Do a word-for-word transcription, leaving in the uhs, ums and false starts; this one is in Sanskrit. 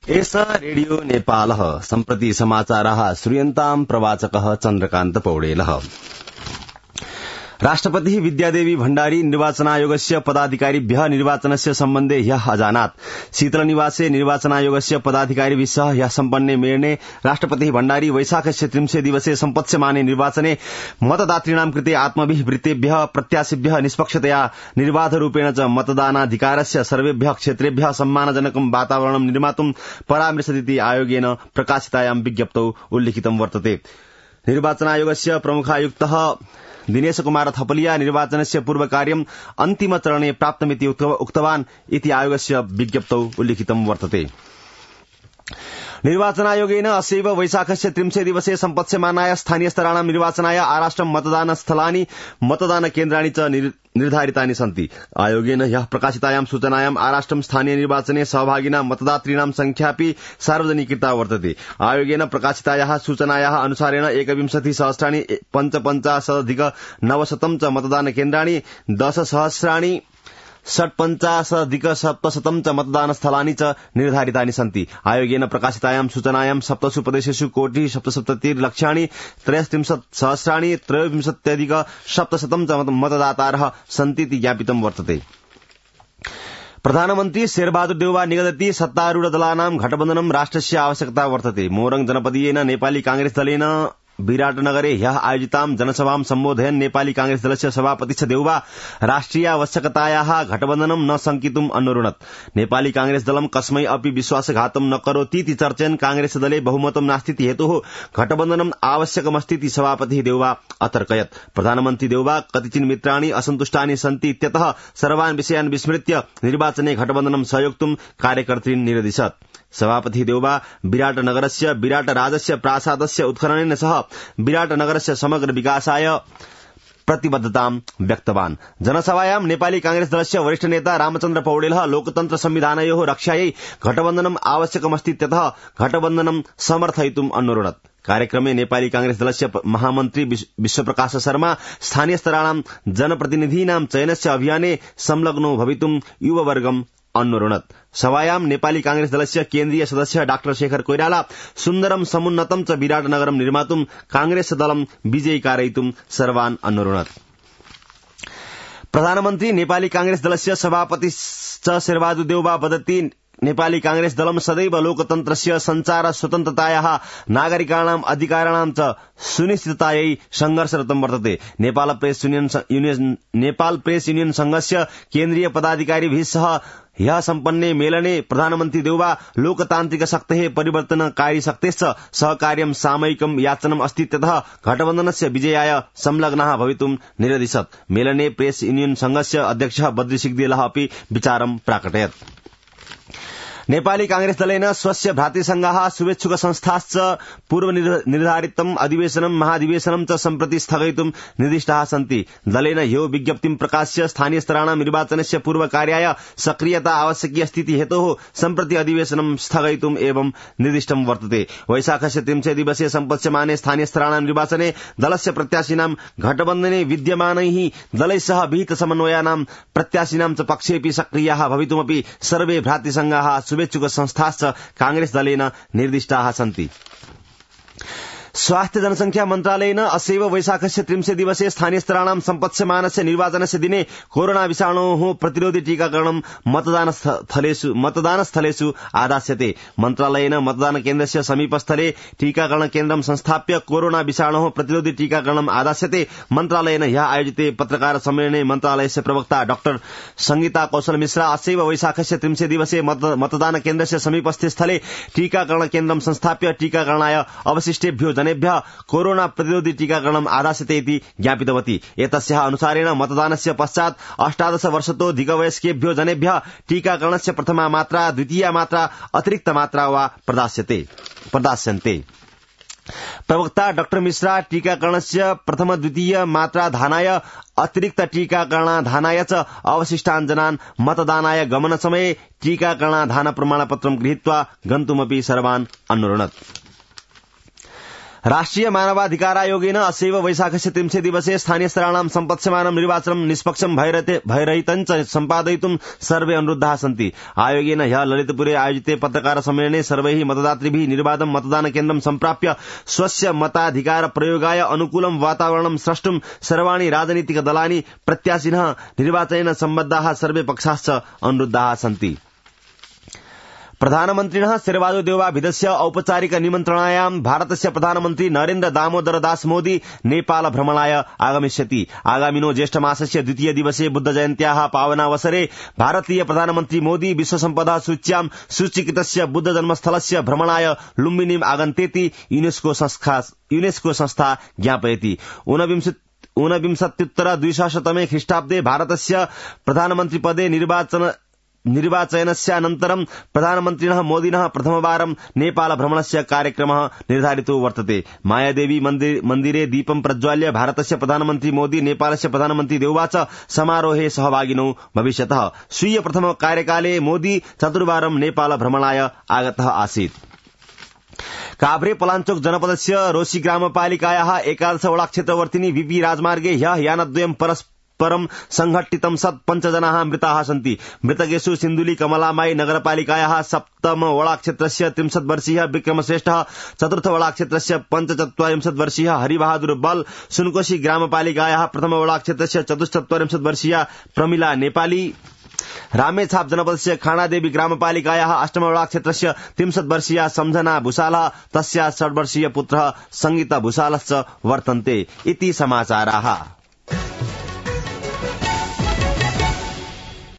एष रेडियो नेपालः सम्प्रति समाचाराः श्रूयन्ताम् प्रवाचकः चन्द्रकान्त पौडेलः। राष्ट्रपतिः विद्यादेवी भण्डारी निर्वाचनायोगस्य पदाधिकारिभ्यः निर्वाचनस्य सम्बन्धे ह्यः अजानात्। शीतलनिवासे निर्वाचनायोगस्य पदाधिकारिभिः सह ह्यः सम्पन्ने मेलने राष्ट्रपतिः भण्डारी वैशाखस्य त्रिंशे दिवसे सम्पत्स्यमाने निर्वाचने मतदातॄणां कृते आत्मभिः वृत्तेभ्यः प्रत्याशिभ्यः निष्पक्षतया निर्बाधरूपेण च मतदानाधिकारस्य सर्वेभ्यः क्षेत्रेभ्यः सम्मानजनकं वातावरणं निर्मातुं परामृशदिति आयोगेन प्रकाशितायां विज्ञप्तौ उल्लिखितं वर्तते। निर्वाचनायोगस्य प्रमुखायुक्तः दिनेश कुमार थपलिया निर्वाचनस्य पूर्वकार्यम् अन्तिमचरणे प्राप्तमिति उक्तवान् इति आयोगस्य विज्ञप्तौ उल्लिखितं वर्तते। निर्वाचनायोगेन अस्यैव वैशाखस्य त्रिंशे दिवसे सम्पत्स्यमानाय स्थानीय स्तराणां निर्वाचनाय आराष्ट्रं मतदानस्थलानि मतदानकेन्द्राणि च निर्धारितानि सन्ति। आयोगेन ह्यः प्रकाशितायां सूचनायां आराष्ट्रं स्थानीय निर्वाचने सहभागिनां मतदातॄणां संख्यापि सार्वजनीकृता वर्तते। आयोगेन प्रकाशितायाः सूचनायाः अनुसारेण एकविंशति सहस्राणि पञ्चपञ्चाशदधिक नवशतं च मतदानकेन्द्राणि दश सहस्राणि षट्पञ्चाशदधिक सप्तशतं च मतदानस्थलानि च निर्धारितानि सन्ति। आयोगेन प्रकाशितायां सूचनायां सप्तसु प्रदेशेषु कोटिः सप्तसप्ततिर्लक्षाणि त्रयस्त्रिंशत् सहस्राणि त्रयोविंशत्यधिक सप्तशतं च मतदातारः सन्तीति ज्ञापितं वर्तते। प्रधानमन्त्री शेरबहादुर देउवा निगदति सत्तारूढ दलानां घटबन्धनं राष्ट्रस्य आवश्यकता वर्तते। मोरङ जनपदीयेन नेपाली कांग्रेस दलेन विराटनगरे ह्यः आयोजितां जनसभां सम्बोधयन् नेपाली कांग्रेस दलस्य सभापति देउवा राष्ट्रियावश्यकतायाः घटबन्धनं न शंकितुम् अन्वरुणत्। नेपाली कांग्रेस दलं कस्मै अपि विश्वासघातं न करोतीति चर्चयन् कांग्रेस दले बहुमतं नास्तीति हेतुः घटबन्धनम् आवश्यकमस्तीति सभापतिः देउवा अतर्कयत्। प्रधानमन्त्री देउवा कतिचिन् मित्राणि असन्तुष्टानि सन्ति इत्यतः सर्वान् विषयान् विस्मृत्य निर्वाचने घटबन्धनं सहयोक्तुं कार्यकर्तॄन् निरदिशत्। सभापतिः देउवा विराटनगरस्य विराटराजस्य प्रासादस्य उत्खननेन सह विराटनगरस्य समग्र विकासाय प्रतिबद्धतां व्यक्तवान्। जनसभायां नेपाली कांग्रेस दलस्य वरिष्ठ नेता रामचन्द्र पौडेलः लोकतन्त्र संविधानयोः रक्षायै घटबन्धनम् आवश्यकमस्तीत्यतः घटबन्धनं समर्थयितुम् अन्वरुणत्। कार्यक्रमे नेपाली कांग्रेस दलस्य महामन्त्री विश्वप्रकाश शर्मा स्थानीय स्तराणां जनप्रतिनिधीनां चयनस्य अभियाने संलग्नो भवितुं युववर्गम् अन्वरुणत्। सभायां नेपाली कांग्रेस दलस्य केन्द्रीय सदस्य डाक्टर शेखर कोइराला सुन्दरं समुन्नतं च विराटनगरं निर्मातुं कांग्रेस दलं विजयी कारयितुं सर्वान् अन्वरुणत्। प्रधानमन्त्री नेपाली कांग्रेस दलस्य सभापति च शेरबहादुर देउवा वदति नेपाली कांग्रेस दलं सदैव लोकतन्त्रस्य संचार स्वतन्त्रतायाः नागरिकाणाम् अधिकाराणां च सुनिश्चिततायै संघर्षरतं वर्तते। Nepal Press Union Nepal Press Union संघस्य केन्द्रीय पदाधिकारिभिः सह ह्यः सम्पन्ने मेलने प्रधानमन्त्री देउवा लोकतान्त्रिक शक्तेः परिवर्तनकारी शक्तेश्च सहकार्यं सामयिकं याचनम् अस्तीत्यतः घटबन्धनस्य विजयाय संलग्नाः भवितुं निरदिशत्। मेलने प्रेस युनियन संघस्य अध्यक्षः बद्री सिग्देलः अपि विचारं प्राकटयत्। नेपाली कांग्रेस दलेन स्वस्य भ्रातृसंघाः शुभेच्छुक संस्थाश्च पूर्व निर्धारितम् अधिवेशनं महाधिवेशनं च सम्प्रति स्थगयितुं निर्दिष्टाः सन्ति। दलेन ह्यो विज्ञप्तिं प्रकाश्य स्थानीय स्तराणां निर्वाचनस्य पूर्वकार्याय सक्रियता आवश्यकी अस्तीति हेतोः सम्प्रति अधिवेशनं स्थगयितुम् एवं निर्दिष्टं वर्तते। वैशाखस्य त्रिंशे दिवसे सम्पत्स्यमाने स्थानीय स्तराणां निर्वाचने दलस्य प्रत्याशिनां घटबन्धने विद्यमानैः दलैः सह विहित समन्वयानां प्रत्याशिनां च पक्षेऽपि सक्रियाः भवितुमपि सर्वे भ्रातृसंघाः शुभेच्छुक संस्थाश्च कांग्रेस दलेन निर्दिष्टाः सन्ति। स्वास्थ्य जनसंख्या मन्त्रालयेन अस्यैव वैशाखस्य त्रिंशे दिवसे स्थानीय स्तराणां सम्पत्स्यमानस्य निर्वाचनस्य दिने कोरोना विषाणोः प्रतिरोधि टीकाकरणं मतदानस्थलेषु मतदानस्थलेषु आदास्यते। मन्त्रालयेन मतदान केन्द्रस्य समीपस्थले टीकाकरण केन्द्रं संस्थाप्य कोरोना विषाणोः प्रतिरोधि टीकाकरणम् आदास्यते। मन्त्रालयेन ह्यः आयोजिते पत्रकार सम्मेलने मन्त्रालयस्य प्रवक्ता डाक्टर संगीता कौशल मिश्रा अस्यैव वैशाखस्य त्रिंशे दिवसे मतदान केन्द्रस्य समीपस्थे स्थले टीकाकरण केन्द्रं संस्थाप्य टीकाकरणाय अवशिष्टेभ्यो जनेभ्यः कोरोना प्रतिरोधि टीकाकरणम् आदास्यते इति ज्ञापितवती। एतस्याः अनुसारेण मतदानस्य पश्चात् अष्टादश वर्षतोऽधिकवयस्केभ्यो जनेभ्यः टीकाकरणस्य प्रथमा मात्रा द्वितीया मात्रा अतिरिक्त मात्रा वा प्रदास्यते प्रदास्यन्ते। प्रवक्ता डाक्टर मिश्रा टीकाकरणस्य प्रथम द्वितीय मात्रा धानाय अतिरिक्त टीकाकरणाधानाय च अवशिष्टान् जनान् मतदानाय गमनसमये टीकाकरणाधान प्रमाणपत्रं गृहीत्वा गन्तुमपि सर्वान् अन्वरुणत्। राष्ट्रिय मानवाधिकारायोगेन अस्यैव वैशाखस्य त्रिंशे दिवसे स्थानीयस्तराणां सम्पत्स्यमानं निर्वाचनं निष्पक्षं भयरहितं च सम्पादयितुं सर्वे अनुरुद्धाः सन्ति। आयोगेन ह्यः ललितपुरे आयोजिते पत्रकार सम्मेलने सर्वैः मतदातृभिः निर्बाधं मतदानकेन्द्रं सम्प्राप्य स्वस्य मताधिकार प्रयोगाय अनुकूलं वातावरणं स्रष्टुं सर्वाणि राजनीतिकदलानि प्रत्याशिनः निर्वाचनेन सम्बद्धाः सर्वे पक्षाश्च अनुरुद्धाः सन्ति। प्रधानमन्त्रिणः शेरबाजो देवोबाभिधस्य औपचारिक निमन्त्रणायां भारतस्य प्रधानमन्त्री नरेन्द्र दामोदर दास मोदी नेपाल भ्रमणाय आगमिष्यति। आगामिनो ज्येष्ठमासस्य द्वितीय दिवसे बुद्ध जयन्त्याः पावनावसरे भारतीय प्रधानमन्त्री मोदी विश्व सम्पदा सूच्यां सूचीकृतस्य बुद्ध जन्मस्थलस्य भ्रमणाय लुम्बिनीम् आगन्तेति यूनेस्को संस्था यूनेस्को संस्था ज्ञापयति। ऊनविंशत्युत्तर द्विसहस्रतमे ख्रीष्टाब्दे भारतस्य प्रधानमन्त्रिपदे निर्वाचन निर्वाचनस्यानन्तरं प्रधानमन्त्रिणः मोदिनः प्रथमवारं नेपाल भ्रमणस्य कार्यक्रमः निर्धारितो वर्तते। मायादेवी मन्दिरे दीपं प्रज्वाल्य भारतस्य प्रधानमन्त्री मोदी नेपालस्य प्रधानमन्त्री देउबा च समारोहे सहभागिनो भविष्यतः। स्वीय प्रथम कार्यकाले मोदी चतुर्वारं नेपाल भ्रमणाय आगतः आसीत्। काभ्रे पलाञ्चोक जनपदस्य रोशी ग्रामपालिकायाः एकादश वडा क्षेत्रवर्तिनी वीपी राजमार्गे ह्यः यानद्वयं परस्पर परं संघटितं सत् पञ्चजनाः मृताः सन्ति। मृतकेषु सिन्धुली कमलामाई नगरपालिकायाः सप्तम वडाक्षेत्रस्य त्रिंशत् वर्षीयः विक्रमश्रेष्ठः, चतुर्थ वडाक्षेत्रस्य पञ्चचत्वारिंशत् वर्षीयः हरिबहादुर बल, सुनकोशी ग्रामपालिकायाः प्रथम वडाक्षेत्रस्य चतुश्चत्वारिंशत् वर्षीया प्रमिला नेपाली, रामेछाप जनपदस्य खाणादेवी ग्रामपालिकायाः अष्टम वडाक्षेत्रस्य त्रिंशत् वर्षीया सम्झना भूषालः, तस्याः षड्वर्षीय पुत्रः संगीता भूषालश्च वर्तन्ते। इति समाचाराः।